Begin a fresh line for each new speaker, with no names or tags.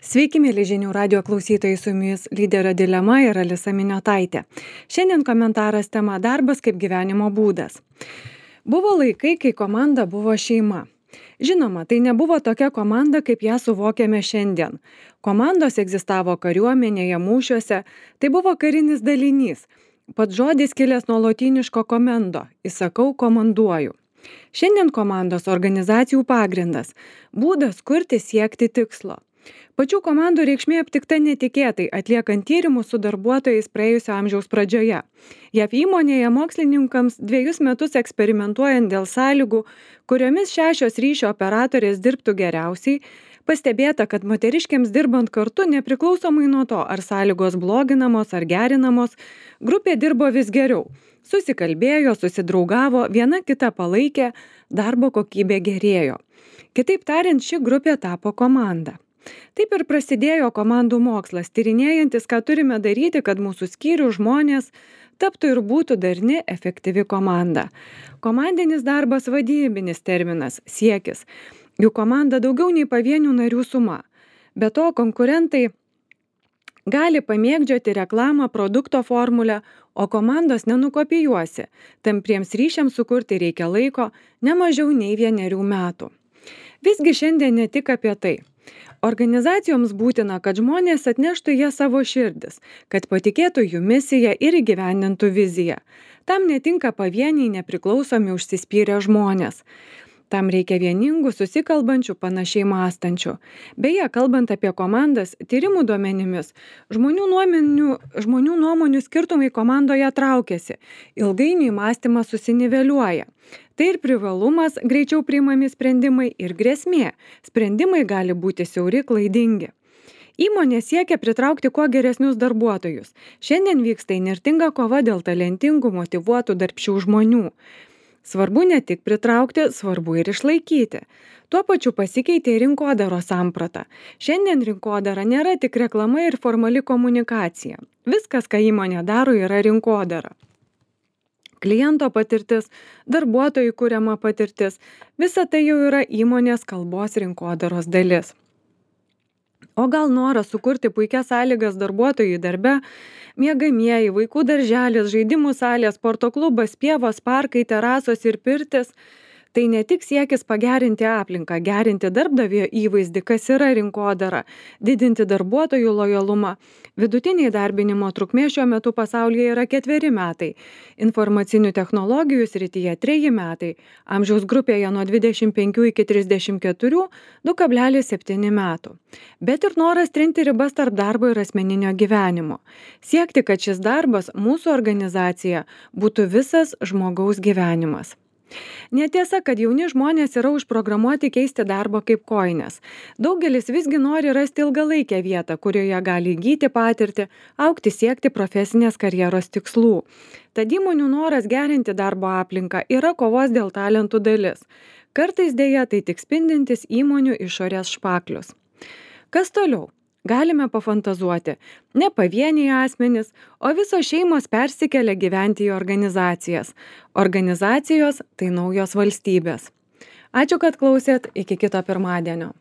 Sveiki, mėly žinių radio klausytojai, su jumis lyderio dilema ir Alisa Miniotaitė. Šiandien komentaras tema darbas kaip gyvenimo būdas. Buvo laikai, kai komanda buvo šeima. Žinoma, tai nebuvo tokia komanda, kaip ją suvokiame šiandien. Komandos egzistavo kariuomenėje, mūšiuose, tai buvo karinis dalinys. Pats žodis kilęs nuo lotyniško komendo, įsakau, komanduoju. Šiandien komandos organizacijų pagrindas, būdas kurti siekti tikslo. Pačių komandų reikšmė aptikta netikėtai, atliekant tyrimus su darbuotojais praėjusio amžiaus pradžioje. JAV įmonėje mokslininkams 2 metus eksperimentuojant dėl sąlygų, kuriomis 6 ryšio operatorės dirbtų geriausiai, pastebėta, kad moteriškėms dirbant kartu, nepriklausomai nuo to, ar sąlygos bloginamos ar gerinamos, grupė dirbo vis geriau. Susikalbėjo, susidraugavo, viena kitą palaikė, darbo kokybė gerėjo. Kitaip tariant, ši grupė tapo komanda. Taip ir prasidėjo komandų mokslas, tyrinėjantis, ką turime daryti, kad mūsų skyrių žmonės taptų ir būtų darni, efektyvi komanda. Komandinis darbas vadybinis terminas, siekis. Jų komanda daugiau nei pavienių narių suma. Be to, konkurentai gali pamėgdžioti reklamą, produkto formulę, o komandos nenukopijuosi. Tampriems ryšiams sukurti reikia laiko, ne mažiau nei 1 metų. Visgi šiandien ne tik apie tai. Organizacijoms būtina, kad žmonės atneštų jie savo širdis, kad patikėtų jų misiją ir įgyvendintų viziją. Tam netinka pavieniai nepriklausomi užsispyrę žmonės. Tam reikia vieningų, susikalbančių, panašiai mąstančių. Beje, kalbant apie komandas, tyrimų duomenimis, žmonių nuomonių skirtumai komandoje traukiasi. Ilgainiui mąstymas susiniveliuoja. Tai ir privalumas, greičiau priimami sprendimai, ir grėsmė. Sprendimai gali būti siauri, klaidingi. Įmonė siekia pritraukti kuo geresnius darbuotojus. Šiandien vyksta įnirtinga kova dėl talentingų, motyvuotų, darbščių žmonių. Svarbu ne tik pritraukti, svarbu ir išlaikyti. Tuo pačiu pasikeitė rinkodaros samprata. Šiandien rinkodara nėra tik reklama ir formali komunikacija. Viskas, ką įmonė daro, yra rinkodara. Kliento patirtis, darbuotojų kuriama patirtis, visa tai jau yra įmonės kalbos rinkodaros dalis. O gal noras sukurti puikias sąlygas darbuotojų darbe, miegamieji, vaikų darželis, žaidimų salės, sporto klubas, pievos, parkai, terasos ir pirtis, tai ne tik siekis pagerinti aplinką, gerinti darbdavio įvaizdį, kas yra rinkodara, didinti darbuotojų lojalumą. Vidutiniai darbinimo trukmė šiuo metu pasaulyje yra 4 metai, informacinių technologijų srityje 3 metai, amžiaus grupėje nuo 25 iki 34 2,7 metų. Bet ir noras trinti ribas tarp darbo ir asmeninio gyvenimo. Siekti, kad šis darbas, mūsų organizacija, būtų visas žmogaus gyvenimas. Netiesa, kad jauni žmonės yra užprogramuoti keisti darbą kaip kojines. Daugelis visgi nori rasti ilgalaikę vietą, kurioje gali įgyti patirtį, augti, siekti profesinės karjeros tikslų. Tad įmonių noras gerinti darbo aplinką yra kovos dėl talentų dalis. Kartais dėja tai tik spindintis įmonių išorės špaklius. Kas toliau? Galime pafantazuoti. Ne pavieniai asmenys, o visos šeimos persikelia gyventi į organizacijas. Organizacijos tai naujos valstybės. Ačiū, kad klausėt. Iki kito pirmadienio.